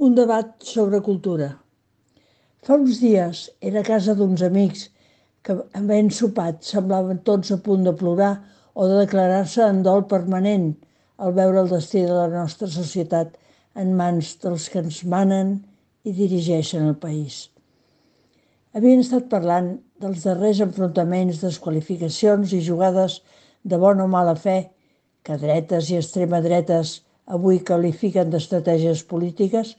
Un debat sobre cultura. Fa uns dies era a casa d'uns amics que, havent sopat, semblaven tots a punt de plorar o de declarar-se en dol permanent al veure el destí de la nostra societat en mans dels que ens manen i dirigeixen el país. Havien estat parlant dels darrers enfrontaments, desqualificacions i jugades de bona o mala fe que dretes i extrema dretes avui qualifiquen d'estratègies polítiques,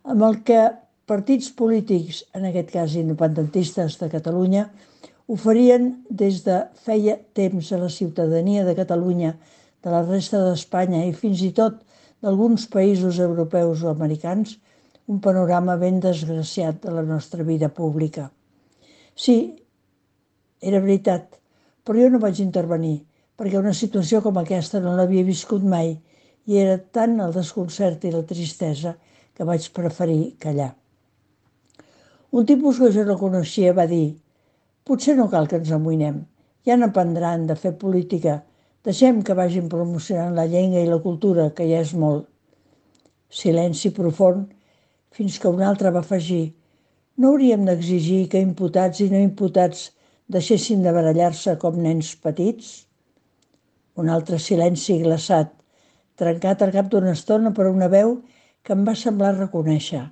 amb el que partits polítics, en aquest cas independentistes de Catalunya, oferien des de feia temps a la ciutadania de Catalunya, de la resta d'Espanya i fins i tot d'alguns països europeus o americans, un panorama ben desgraciat de la nostra vida pública. Sí, era veritat, però jo no vaig intervenir, perquè una situació com aquesta no l'havia viscut mai i era tant el desconcert i la tristesa que vaig preferir callar. Un tipus que jo no coneixia va dir: potser no cal que ens amoïnem, ja n'aprendran de fer política, deixem que vagin promocionant la llengua i la cultura, que ja és molt. Silenci profund, fins que un altre va afegir: no hauríem d'exigir que imputats i no imputats deixessin de barallar-se com nens petits? Un altre silenci glaçat, trencat al cap d'una estona per una veu que em va semblar reconèixer.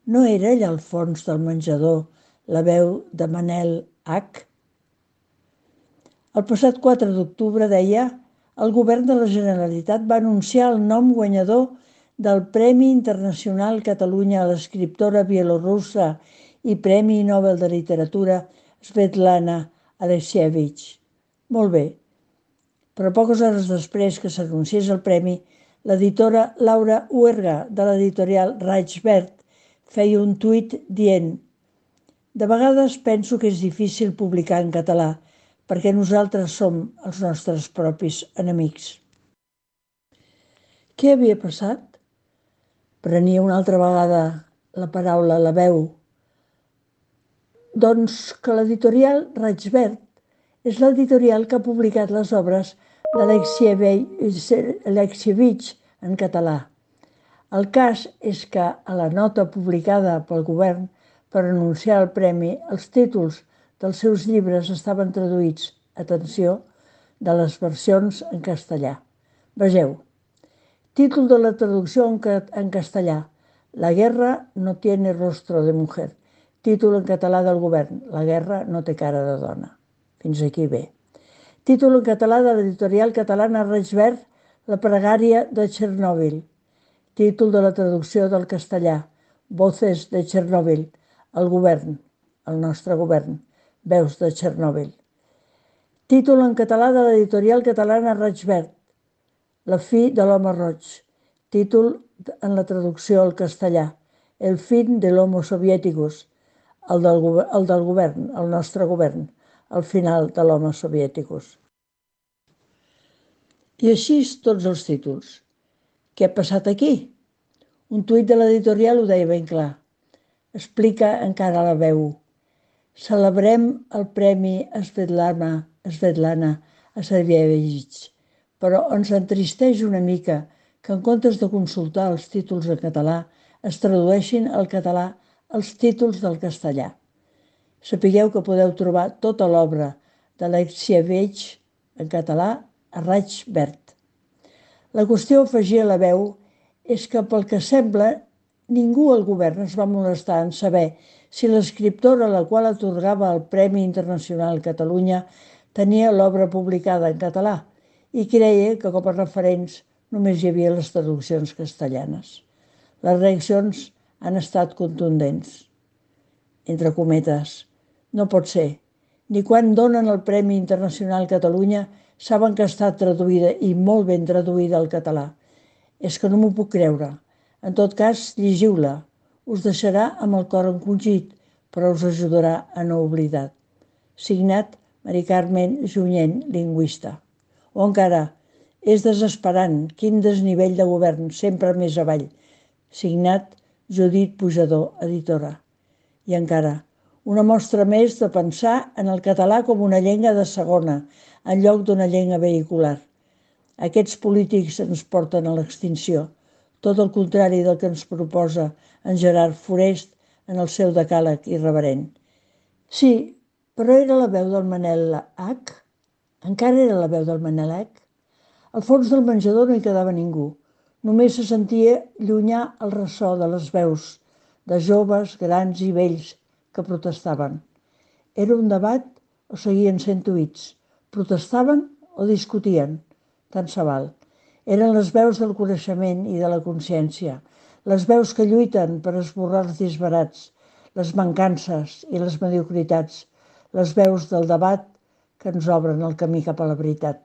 No era allà al fons del menjador la veu de Manel H? El passat 4 d'octubre, deia, el govern de la Generalitat va anunciar el nom guanyador del Premi Internacional Catalunya a l'escriptora bielorussa i Premi Nobel de Literatura Svetlana Alexievich. Molt bé, però poques hores després que s'anunciés el premi, l'editora Laura Huerga, de l'editorial Reichswert, feia un tuit dient: de vegades penso que és difícil publicar en català, perquè nosaltres som els nostres propis enemics. Què havia passat? Prenia una altra vegada la paraula, la veu. Doncs que l'editorial Reichswert és l'editorial que ha publicat les obres d'Alexievich en català. El cas és que a la nota publicada pel govern per anunciar el premi, els títols dels seus llibres estaven traduïts, atenció, de les versions en castellà. Vegeu, títol de la traducció en castellà: La guerra no tiene rostro de mujer. Títol en català del govern: La guerra no té cara de dona. Fins aquí bé. Títol en català de l'editorial catalana Reichswert: La pregària de Txernòbil. Títol de la traducció del castellà: Voces de Txernòbil. El govern, el nostre govern, veus de Txernòbil. Títol en català de l'editorial catalana Reichswert: La fi de l'home roig. Títol en la traducció al castellà: El fin de l'homo soviéticus. El del govern, el nostre govern, el final de l'homo soviéticus. I així tots els títols. Què ha passat aquí? Un tuit de l'editorial ho deia ben clar. Explica encara la veu. Celebrem el Premi Svetlana Alexievich, però ens entristeix una mica que en comptes de consultar els títols en català es tradueixin al català els títols del castellà. Sapigueu que podeu trobar tota l'obra d'Alexievich en català a Reichswert. La qüestió, afegia la veu, és que pel que sembla ningú al govern es va molestar en saber si l'escriptora a la qual atorgava el Premi Internacional Catalunya tenia l'obra publicada en català i creia que com a referents només hi havia les traduccions castellanes. Les reaccions han estat contundents. Entre cometes, no pot ser. Ni quan donen el Premi Internacional Catalunya saben que està traduïda i molt ben traduïda al català. És que no m'ho puc creure. En tot cas, llegiu-la. Us deixarà amb el cor encongit, però us ajudarà a no oblidar. Signat Mari Carmen Junyent, lingüista. O encara, és desesperant, quin desnivell de govern, sempre més avall. Signat Judit Pujador, editora. I encara, una mostra més de pensar en el català com una llengua de segona, en lloc d'una llengua vehicular. Aquests polítics ens porten a l'extinció. tot el contrari del que ens proposa en Gerard Forest en el seu decàleg irreverent. Sí, però era la veu del Manel H. Encara era la veu del Manel H. Al fons del menjador no hi quedava ningú. Només se sentia llunyà el ressò de les veus de joves, grans i vells que protestaven. Era un debat o seguien sent tuits? Protestaven o discutien? Tant se val. Eren les veus del coneixement i de la consciència, les veus que lluiten per esborrar els disbarats, les mancances i les mediocritats, les veus del debat que ens obren el camí cap a la veritat.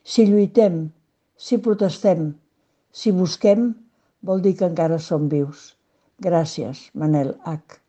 Si lluitem, si protestem, si busquem, vol dir que encara som vius. Gràcies, Manel H.